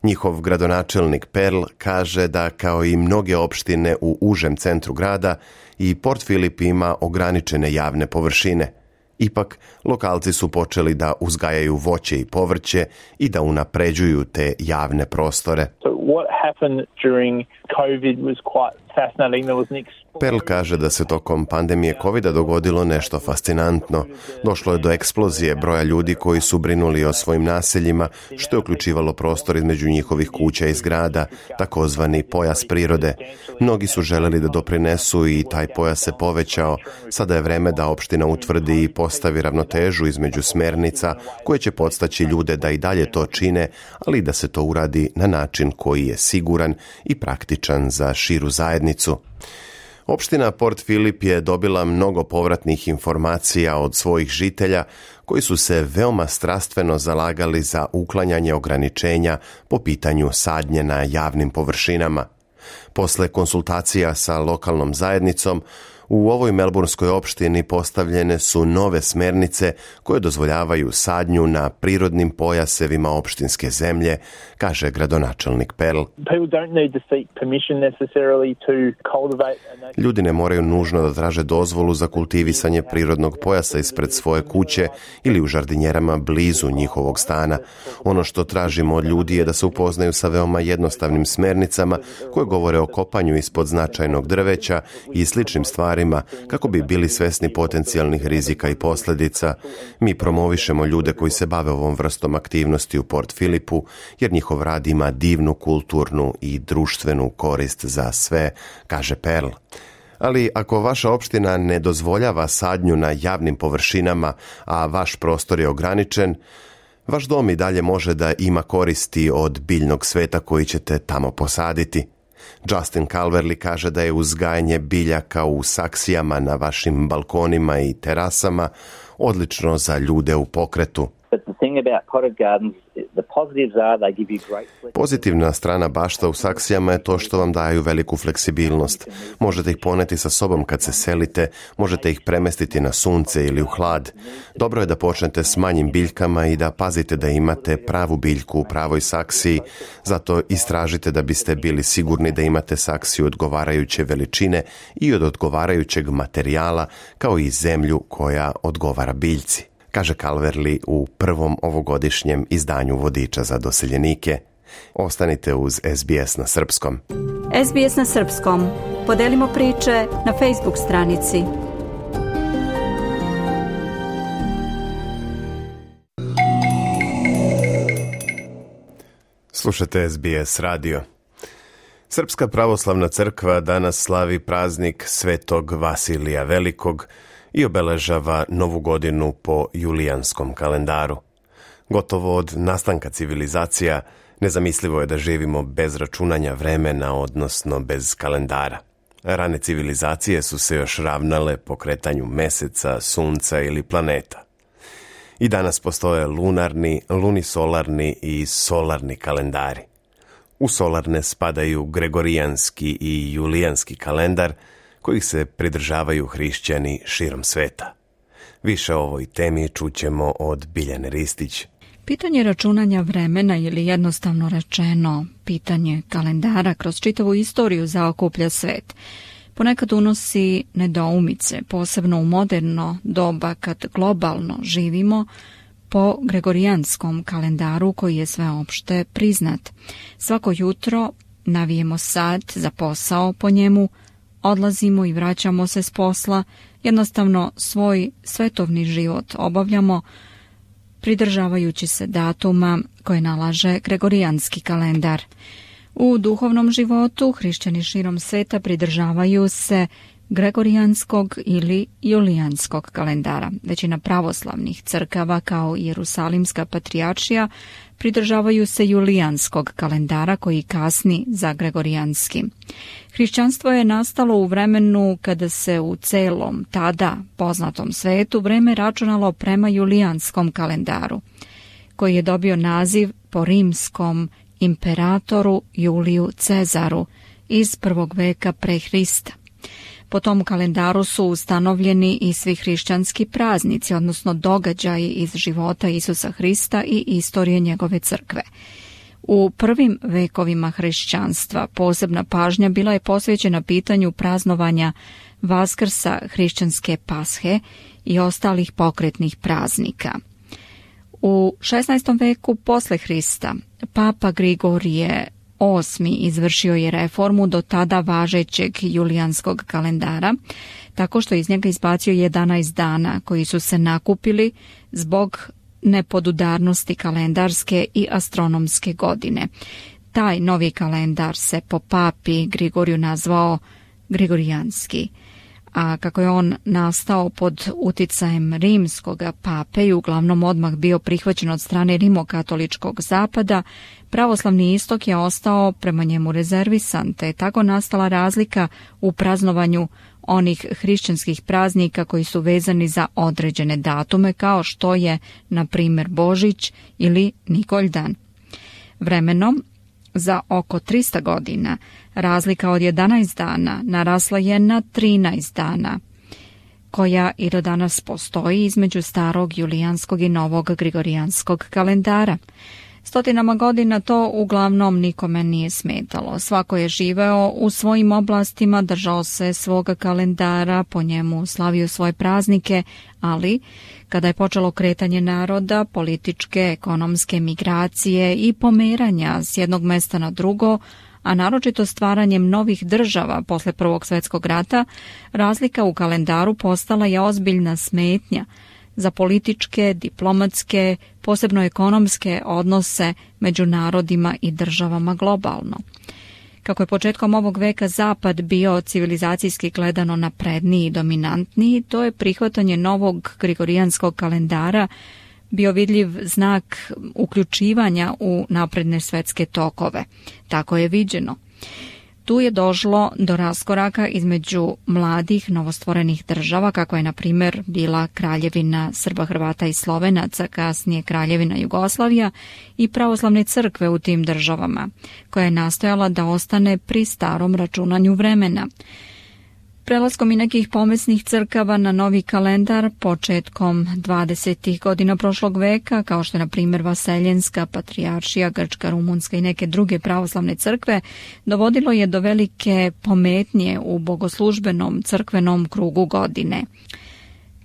Njihov gradonačelnik Perl kaže da, kao i mnoge opštine u užem centru grada, i Port Phillip ima ograničene javne površine. Ipak, lokalci su počeli da uzgajaju voće i povrće i da unapređuju te javne prostore. Perl kaže da se tokom pandemije kovida dogodilo nešto fascinantno. Došlo je do eksplozije broja ljudi koji su brinuli o svojim naseljima, što je uključivalo prostor između njihovih kuća i zgrada, takozvani pojas prirode. Mnogi su želeli da doprinesu i taj pojas se povećao. Sada je vreme da opština utvrdi i postavi ravnotežu između smernica koje će podstaći ljude da i dalje to čine, ali da se to uradi na način koji je siguran i praktičan za širu zajednicu. Opština Port Phillip je dobila mnogo povratnih informacija od svojih žitelja koji su se veoma strastveno zalagali za uklanjanje ograničenja po pitanju sadnje na javnim površinama. Posle konsultacija sa lokalnom zajednicom, u ovoj melburnskoj opštini postavljene su nove smernice koje dozvoljavaju sadnju na prirodnim pojasevima opštinske zemlje, kaže gradonačelnik Perl. Ljudi ne moraju nužno da traže dozvolu za kultivisanje prirodnog pojasa ispred svoje kuće ili u žardinjerama blizu njihovog stana. Ono što tražimo od ljudi je da se upoznaju sa veoma jednostavnim smernicama koje govore o kopanju ispod značajnog drveća i sličnim stvarima kako bi bili svesni potencijalnih rizika i posljedica. Mi promovišemo ljude koji se bave ovom vrstom aktivnosti u Port Phillipu, jer njihov rad ima divnu kulturnu i društvenu korist za sve, kaže Perl. Ali ako vaša opština ne dozvoljava sadnju na javnim površinama, a vaš prostor je ograničen, vaš dom i dalje može da ima koristi od biljnog sveta koji ćete tamo posaditi. Justin Calverley kaže da je uzgajanje biljaka u saksijama na vašim balkonima i terasama odlično za ljude u pokretu. Pozitivna strana bašta u saksijama je to što vam daju veliku fleksibilnost. Možete ih poneti sa sobom kad se selite, možete ih premestiti na sunce ili u hlad. Dobro je da počnete s manjim biljkama i da pazite da imate pravu biljku u pravoj saksiji, zato istražite da biste bili sigurni da imate saksiju odgovarajuće veličine i od odgovarajućeg materijala, kao i zemlju koja odgovara biljci, kaže Calverley u prvom ovogodišnjem izdanju vodiča za doseljenike. Ostanite uz S B S na srpskom. S B S na srpskom. Podelimo priče na Facebook stranici. Slušate S B S radio. Srpska pravoslavna crkva danas slavi praznik Svetog Vasilija Velikog i obeležava novu godinu po julijanskom kalendaru. Gotovo od nastanka civilizacija nezamislivo je da živimo bez računanja vremena, odnosno bez kalendara. Rane civilizacije su se još ravnale po kretanju meseca, sunca ili planeta. I danas postoje lunarni, lunisolarni i solarni kalendari. U solarne spadaju gregorijanski i julijanski kalendar, kojih se pridržavaju hrišćani širom sveta. Više o ovoj temi čućemo od Biljane Ristić. Pitanje računanja vremena ili jednostavno rečeno pitanje kalendara kroz čitavu istoriju zaokuplja svet. Ponekad unosi nedoumice, posebno u moderno doba kad globalno živimo po gregorijanskom kalendaru koji je sveopšte priznat. Svako jutro navijemo sat za posao po njemu, odlazimo i vraćamo se s posla, jednostavno svoj svetovni život obavljamo pridržavajući se datuma koje nalaže gregorijanski kalendar. U duhovnom životu hrišćani širom sveta pridržavaju se gregorijanskog ili julijanskog kalendara. Većina pravoslavnih crkava kao i Jerusalimska patrijaršija pridržavaju se julijanskog kalendara koji kasni za gregorijanski. Hrišćanstvo je nastalo u vremenu kada se u celom tada poznatom svetu vreme računalo prema julijanskom kalendaru, koji je dobio naziv po rimskom imperatoru Juliju Cezaru iz prvog veka pre Hrista. Po tom kalendaru su ustanovljeni i svi hrišćanski praznici, odnosno događaji iz života Isusa Hrista i istorije njegove crkve. U prvim vekovima hrišćanstva posebna pažnja bila je posvećena pitanju praznovanja Vaskrsa, hrišćanske Pashe i ostalih pokretnih praznika. U šesnaestom veku posle Hrista Papa Grigorije Osmi izvršio je reformu do tada važećeg julijanskog kalendara, tako što iz njega izbacio jedanaest dana koji su se nakupili zbog nepodudarnosti kalendarske i astronomske godine. Taj novi kalendar se po papi Grigoriju nazvao Grigorijanski, a kako je on nastao pod uticajem rimskog pape i uglavnom odmah bio prihvaćen od strane rimokatoličkog zapada, pravoslavni istok je ostao prema njemu rezervisan, te je tako nastala razlika u praznovanju onih hrišćanskih praznika koji su vezani za određene datume, kao što je, na primjer, Božić ili Nikoljdan. Vremenom, za oko trista godina, razlika od jedanaest dana narasla je na trinaest dana, koja i do danas postoji između starog julijanskog i novog gregorijanskog kalendara. Stotinama godina to uglavnom nikome nije smetalo. Svako je živeo u svojim oblastima, držao se svoga kalendara, po njemu slavio svoje praznike, ali kada je počelo kretanje naroda, političke, ekonomske migracije i pomeranja s jednog mesta na drugo, a naročito stvaranjem novih država posle Prvog svjetskog rata, razlika u kalendaru postala je ozbiljna smetnja za političke, diplomatske, posebno ekonomske odnose među narodima i državama globalno. Kako je početkom ovog veka Zapad bio civilizacijski gledano napredniji i dominantniji, to je prihvatanje novog gregorijanskog kalendara bio vidljiv znak uključivanja u napredne svetske tokove. Tako je viđeno. Tu je došlo do raskoraka između mladih novostvorenih država, kako je na primjer bila Kraljevina Srba, Hrvata i Slovenaca, kasnije Kraljevina Jugoslavija, i pravoslavne crkve u tim državama, koja je nastojala da ostane pri starom računanju vremena. Prelaskom i nekih pomesnih crkava na novi kalendar početkom dvadesetih godina prošlog veka, kao što je na primjer Vaseljenska, Patrijaršija, Grčka, Rumunska i neke druge pravoslavne crkve, dovodilo je do velike pometnje u bogoslužbenom crkvenom krugu godine.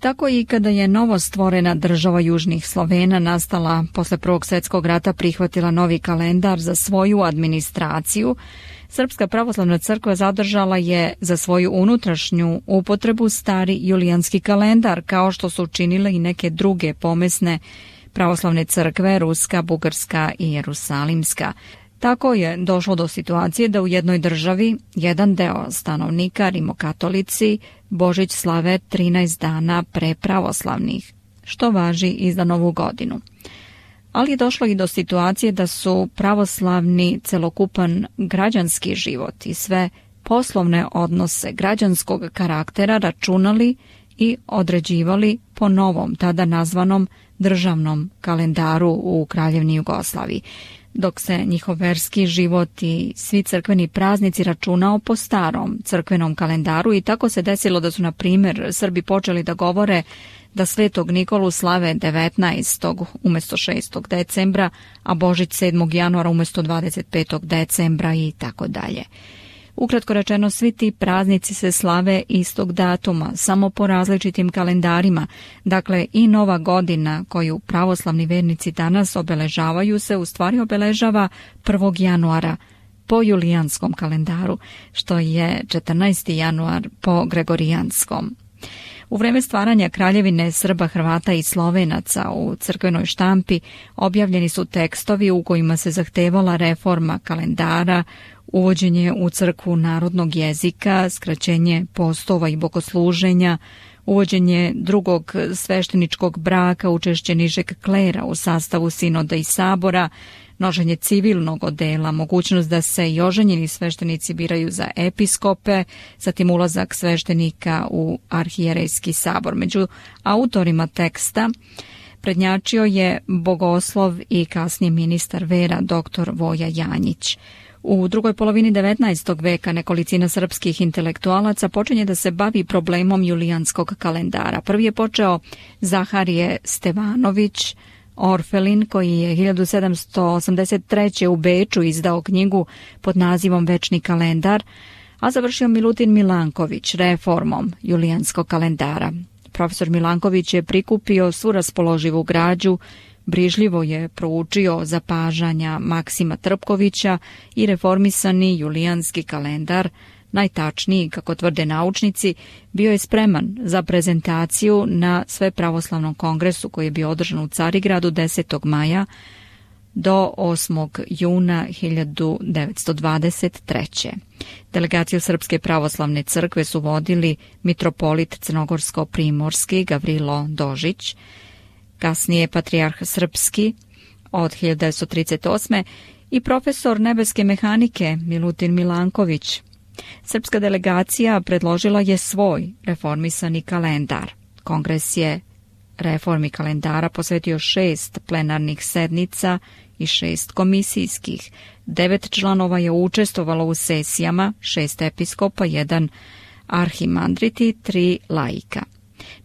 Tako i kada je novo stvorena država Južnih Slovena nastala posle Prvog svjetskog rata prihvatila novi kalendar za svoju administraciju, Srpska pravoslavna crkva zadržala je za svoju unutrašnju upotrebu stari julijanski kalendar, kao što su učinile i neke druge pomesne pravoslavne crkve, Ruska, Bugarska i Jerusalimska. Tako je došlo do situacije da u jednoj državi jedan deo stanovnika, rimokatolici, Božić slave trinaest dana pre pravoslavnih, što važi i za Novu godinu. Ali je došlo i do situacije da su pravoslavni celokupan građanski život i sve poslovne odnose građanskog karaktera računali i određivali po novom, tada nazvanom državnom kalendaru u Kraljevini Jugoslaviji, dok se njihov verski život i svi crkveni praznici računao po starom crkvenom kalendaru. I tako se desilo da su, na primjer, Srbi počeli da govore da Svetog Nikolu slave devetnaestog umjesto šestog decembra, a Božić sedmog januara umjesto dvadeset petog decembra i tako dalje. Ukratko rečeno, svi ti praznici se slave istog datuma, samo po različitim kalendarima. Dakle, i Nova godina koju pravoslavni vernici danas obeležavaju se u stvari obeležava prvog januara po julijanskom kalendaru, što je četrnaesti januar po gregorijanskom. U vreme stvaranja Kraljevine Srba, Hrvata i Slovenaca u crkvenoj štampi objavljeni su tekstovi u kojima se zahtevala reforma kalendara, uvođenje u crkvu narodnog jezika, skraćenje postova i bogosluženja, uvođenje drugog svešteničkog braka, učešće nižeg klera u sastavu sinoda i sabora, nošenje civilnog odela, mogućnost da se i oženjeni sveštenici biraju za episkope, zatim ulazak sveštenika u arhijerejski sabor. Među autorima teksta prednjačio je bogoslov i kasnije ministar vera doktor Voja Janjić. U drugoj polovini devetnaestog veka nekolicina srpskih intelektualaca počinje da se bavi problemom julijanskog kalendara. Prvi je počeo Zaharije Stevanović Orfelin, koji je hiljadu sedamsto osamdeset treće. u Beču izdao knjigu pod nazivom Večni kalendar, a završio Milutin Milanković reformom julijanskog kalendara. Profesor Milanković je prikupio svu raspoloživu građu, brižljivo je proučio zapažanja Maksima Trpkovića i reformisani julijanski kalendar, najtačniji, kako tvrde naučnici, bio je spreman za prezentaciju na Svepravoslavnom kongresu koji je bio održan u Carigradu desetog maja do osmog juna hiljadu devetsto dvadeset treće. Delegaciju Srpske pravoslavne crkve su vodili mitropolit crnogorsko-primorski Gavrilo Dožić, kasnije patrijarh srpski od hiljadu devetsto trideset osme. i profesor nebeske mehanike Milutin Milanković. Srpska delegacija predložila je svoj reformisani kalendar. Kongres je reformi kalendara posvetio šest plenarnih sednica i šest komisijskih. Devet članova je učestvovalo u sesijama, šest episkopa, jedan arhimandrit i tri laika.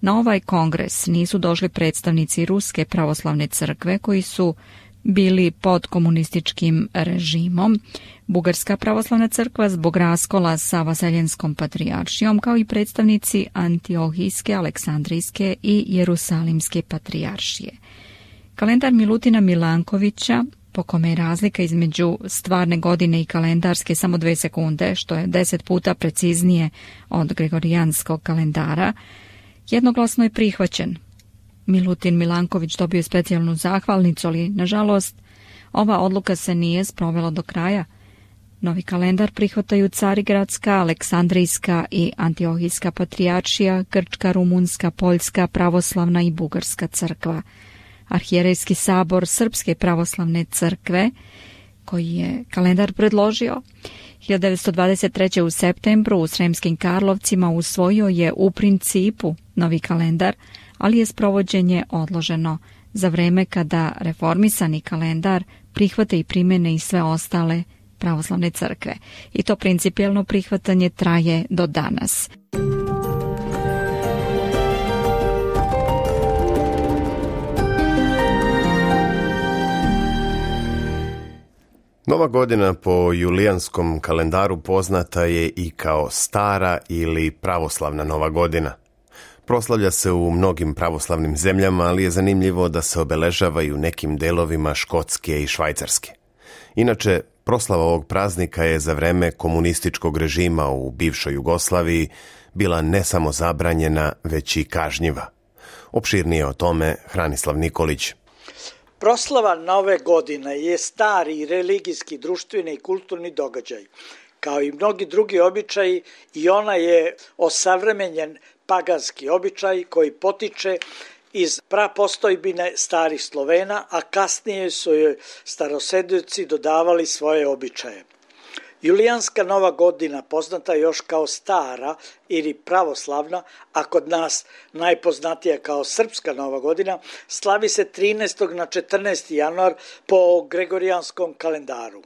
Na ovaj kongres nisu došli predstavnici Ruske pravoslavne crkve koji su bili pod komunističkim režimom, Bugarska pravoslavna crkva zbog raskola sa Vaseljenskom patrijaršijom, kao i predstavnici Antiohijske, Aleksandrijske i Jerusalimske patrijaršije. Kalendar Milutina Milankovića, po kome je razlika između stvarne godine i kalendarske samo dve sekunde, što je deset puta preciznije od gregorijanskog kalendara, jednoglasno je prihvaćen. Milutin Milanković dobio je specijalnu zahvalnicu, ali, nažalost, ova odluka se nije sprovela do kraja. Novi kalendar prihvataju Carigradska, Aleksandrijska i Antiohijska patrijaršija, Grčka, Rumunska, Poljska, pravoslavna i Bugarska crkva. Arhijerejski sabor Srpske pravoslavne crkve, koji je kalendar predložio, hiljadu devetsto dvadeset treće. u septembru u Sremskim Karlovcima usvojio je u principu novi kalendar, ali je sprovođenje odloženo za vreme kada reformisani kalendar prihvate i primene i sve ostale pravoslavne crkve. I to principijelno prihvatanje traje do danas. Nova godina po julijanskom kalendaru poznata je i kao stara ili pravoslavna Nova godina. Proslavlja se u mnogim pravoslavnim zemljama, ali je zanimljivo da se obeležava i u nekim delovima Škotske i Švajcarske. Inače, proslava ovog praznika je za vreme komunističkog režima u bivšoj Jugoslaviji bila ne samo zabranjena, već i kažnjiva. Opširnije o tome Hranislav Nikolić. Proslava Nove godine je stari religijski, društveni i kulturni događaj. Kao i mnogi drugi običaji, i ona je osavremenjen paganski običaj koji potiče iz prapostojbine starih Slovena, a kasnije su joj starosedioci dodavali svoje običaje. Julijanska Nova godina, poznata još kao stara ili pravoslavna, a kod nas najpoznatija kao srpska Nova godina, slavi se trinaestog na četrnaesti januar po gregorijanskom kalendaru.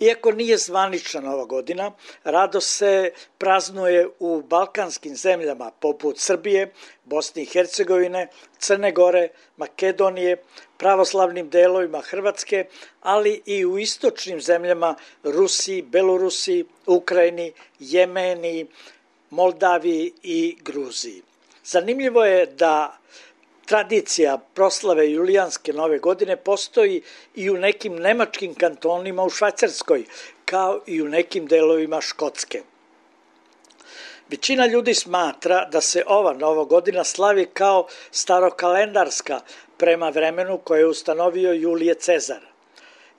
Iako nije zvanična Nova godina, rado se praznuje u balkanskim zemljama poput Srbije, Bosne i Hercegovine, Crne Gore, Makedonije, pravoslavnim delovima Hrvatske, ali i u istočnim zemljama Rusiji, Belorusiji, Ukrajini, Jemeni, Moldaviji i Gruziji. Zanimljivo je da tradicija proslave julijanske Nove godine postoji i u nekim nemačkim kantonima u Švajcarskoj, kao i u nekim delovima Škotske. Većina ljudi smatra da se ova Nova godina slavi kao starokalendarska prema vremenu koje je ustanovio Julije Cezar.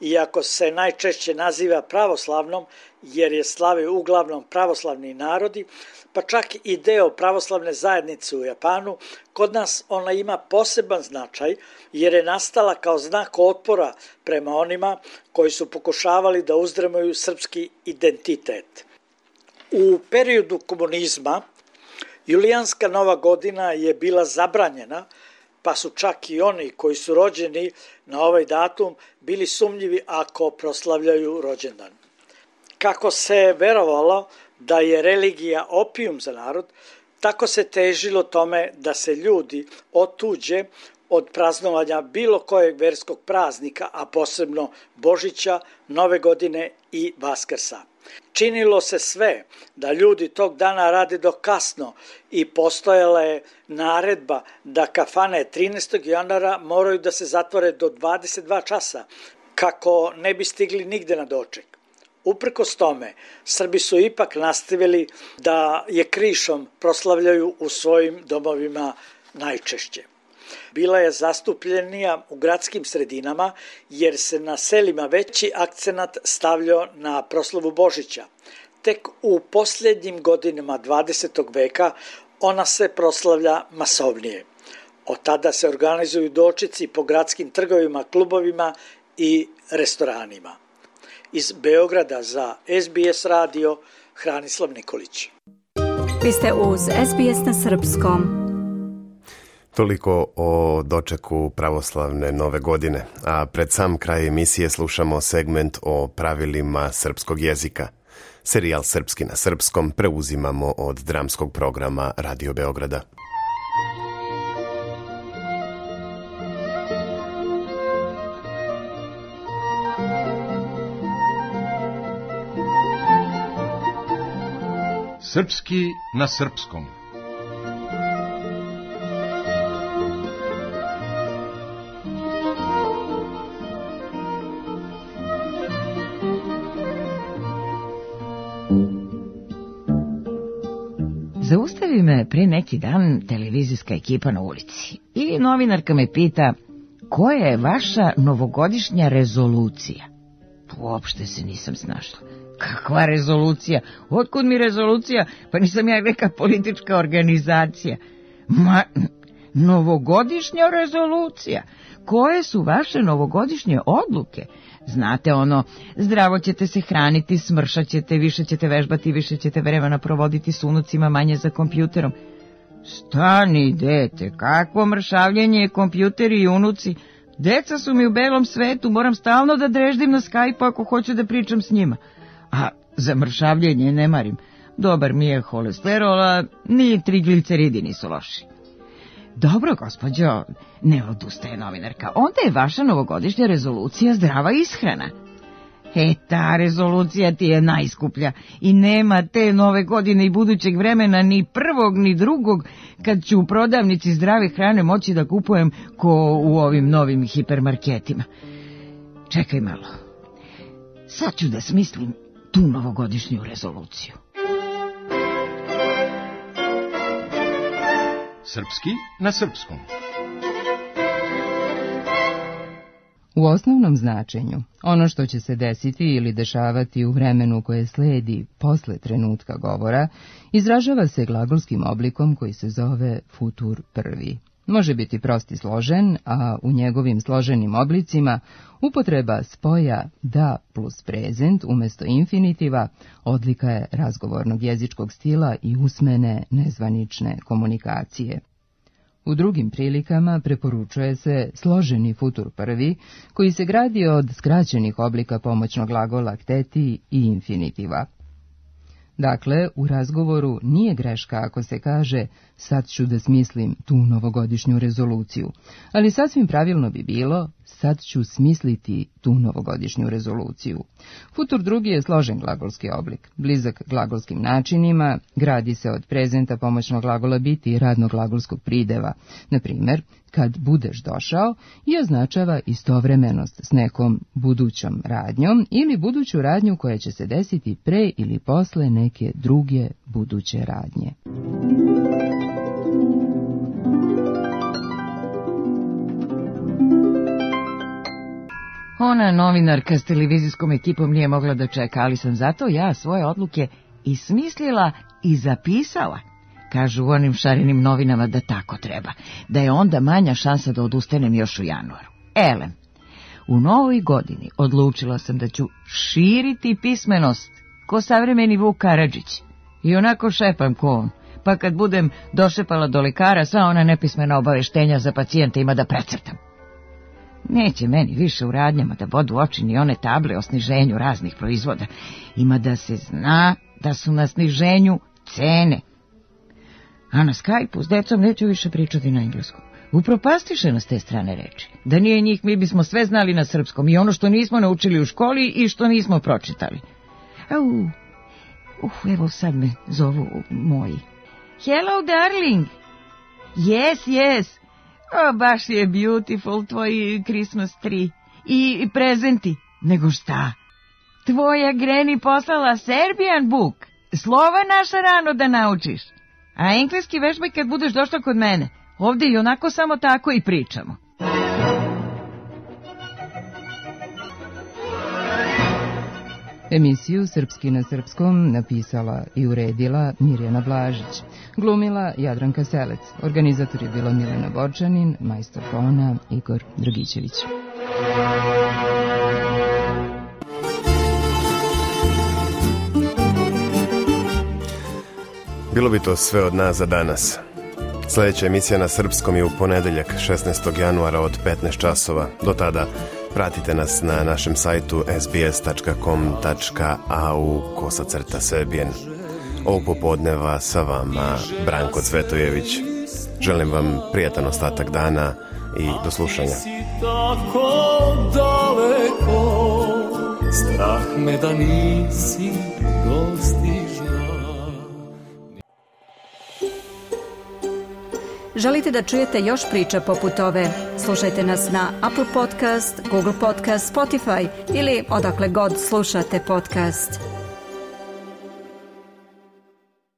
Iako se najčešće naziva pravoslavnom, jer je slave uglavnom pravoslavni narodi, pa čak i deo pravoslavne zajednice u Japanu, kod nas ona ima poseban značaj jer je nastala kao znak otpora prema onima koji su pokušavali da uzdrmaju srpski identitet. U periodu komunizma julijanska Nova godina je bila zabranjena, pa su čak i oni koji su rođeni na ovaj datum bili sumnjivi ako proslavljaju rođendan. Kako se verovalo da je religija opijum za narod, tako se težilo tome da se ljudi otuđe od praznovanja bilo kojeg verskog praznika, a posebno Božića, Nove godine i Vaskrsa. Činilo se sve da ljudi tog dana rade do kasno i postojala je naredba da kafane trinaestog januara moraju da se zatvore do dvadeset dva časa, kako ne bi stigli nigde na doček. Uprkos tome, Srbi su ipak nastavili da je krišom proslavljaju u svojim domovima najčešće. Bila je zastupljenija u gradskim sredinama jer se na selima veći akcenat stavljao na proslavu Božića. Tek u posljednjim godinama dvadesetog veka ona se proslavlja masovnije. Od tada se organizuju dočeci po gradskim trgovima, klubovima i restoranima. Iz Beograda za S B S radio, Hranislav Nikolić. Vi ste uz S B S na srpskom. Toliko o dočeku pravoslavne Nove godine, a pred sam kraj emisije slušamo segment o pravilima srpskog jezika. Serijal Srpski na srpskom preuzimamo od dramskog programa Radio Beograda. Srpski na srpskom. Zaustavi me pre neki dan televizijska ekipa na ulici i novinarka me pita koja je vaša novogodišnja rezolucija. Uopšte se nisam snašla. Kakva rezolucija? Otkud mi rezolucija? Pa nisam ja neka politička organizacija. Ma, novogodišnja rezolucija. Koje su vaše novogodišnje odluke? Znate ono, zdravo ćete se hraniti, smršat ćete, više ćete vežbati, više ćete vremena provoditi s unucima, manje za kompjuterom. Stani, dete, kakvo mršavljenje je kompjuteri i unuci. Deca su mi u belom svetu, moram stalno da dreždim na Skype ako hoću da pričam s njima. A za mršavljenje ne marim. Dobar mi je holesterol, a ni trigliceridi nisu loši. Dobro, gospođo, ne odustaje novinarka. Onda je vaša novogodišnja rezolucija zdrava ishrana. E, ta rezolucija ti je najskuplja i nema te nove godine i budućeg vremena ni prvog ni drugog kad ću u prodavnici zdrave hrane moći da kupujem ko u ovim novim hipermarketima. Čekaj malo. Sad ću da smislim tu novogodišnju rezoluciju. Srpski na srpskom. U osnovnom značenju, ono što će se desiti ili dešavati u vremenu koje sledi posle trenutka govora, izražava se glagolskim oblikom koji se zove futur prvi. Može biti prost i složen, a u njegovim složenim oblicima upotreba spoja da plus prezent umjesto infinitiva odlika je razgovornog jezičkog stila i usmene nezvanične komunikacije. U drugim prilikama preporučuje se složeni futur prvi, koji se gradi od skraćenih oblika pomoćnog glagola kteti i infinitiva. Dakle, u razgovoru nije greška ako se kaže sad ću da smislim tu novogodišnju rezoluciju, ali sasvim pravilno bi bilo sad ću smisliti tu novogodišnju rezoluciju. Futur drugi je složen glagolski oblik, blizak glagolskim načinima, gradi se od prezenta pomoćnog glagola biti i radnog glagolskog prideva, na primjer, kad budeš došao, i označava istovremenost s nekom budućom radnjom ili buduću radnju koja će se desiti pre ili posle neke druge buduće radnje. Ona novinarka s televizijskom ekipom nije mogla da čeka, ali sam zato ja svoje odluke i smislila i zapisala. Kažu u onim šarenim novinama da tako treba, da je onda manja šansa da odustanem još u januaru. Elem, u novoj godini odlučila sam da ću širiti pismenost ko savremeni Vuk Karadžić. I onako šepam ko on, pa kad budem došepala do lekara, sva ona nepismena obaveštenja za pacijente ima da precrtam. Neće meni više u radnjama da bodu oči ni one table o sniženju raznih proizvoda. Ima da se zna da su na sniženju cene. A na Skype-u s decom neću više pričati na engleskom. Upropastiše nas te strane reči. Da nije njih, mi bismo sve znali na srpskom, i ono što nismo naučili u školi i što nismo pročitali. Au, uh, evo sad me zovu moji. Hello, darling. Yes, yes. O, baš je beautiful tvoj Christmas tree. I prezenti. Nego šta? Tvoja Granny poslala Serbian book. Slova naša rano da naučiš. A engleski vežbaj kad budeš došla kod mene. Ovde i onako samo tako i pričamo. Emisiju Srpski na srpskom napisala i uredila Mirjana Blažić. Glumila Jadranka Selec. Organizator je bila Milena Borčanin, majstor tona Igor Dragićević. Bilo bi to sve od nas za danas. Sljedeća emisija na srpskom je u ponedeljak šesnaestog januara od petnaest časova. Do tada pratite nas na našem sajtu es bi es tačka com tačka a u kosacrta Serbian. Ovog popodneva sa vama Branko Cvetojević. Želim vam prijatan ostatak dana i do slušanja. Tako daleko, strah me da nisi dostižna. Želite da čujete još priča poput ove? Slušajte nas na Apple Podcast, Google Podcast, Spotify ili odakle god slušate podcast.